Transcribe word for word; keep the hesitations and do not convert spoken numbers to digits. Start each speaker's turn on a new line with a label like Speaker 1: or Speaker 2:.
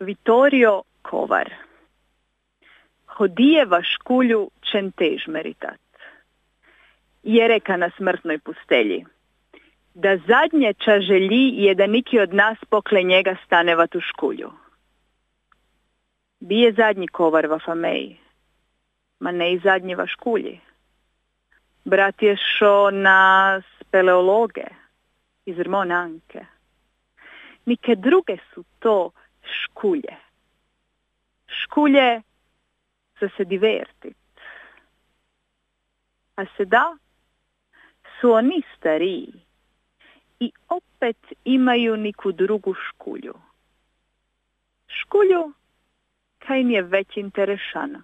Speaker 1: Vittorio Kovar. Hodijeva škulju čentež meritat. Je reka na smrtnoj pustelji. Da zadnje ča želji je da niki od nas pokle njega stanevat u škulju. Bije zadnji kovar va fameji, ma ne i zadnji va škulji. Brat je šo na speleologe iz Monanke. Nike druge su to škulje. Škulje za se divertit. A se da su oni stariji i opet imaju niku drugu škulju. Škulju kaj im je već interešana.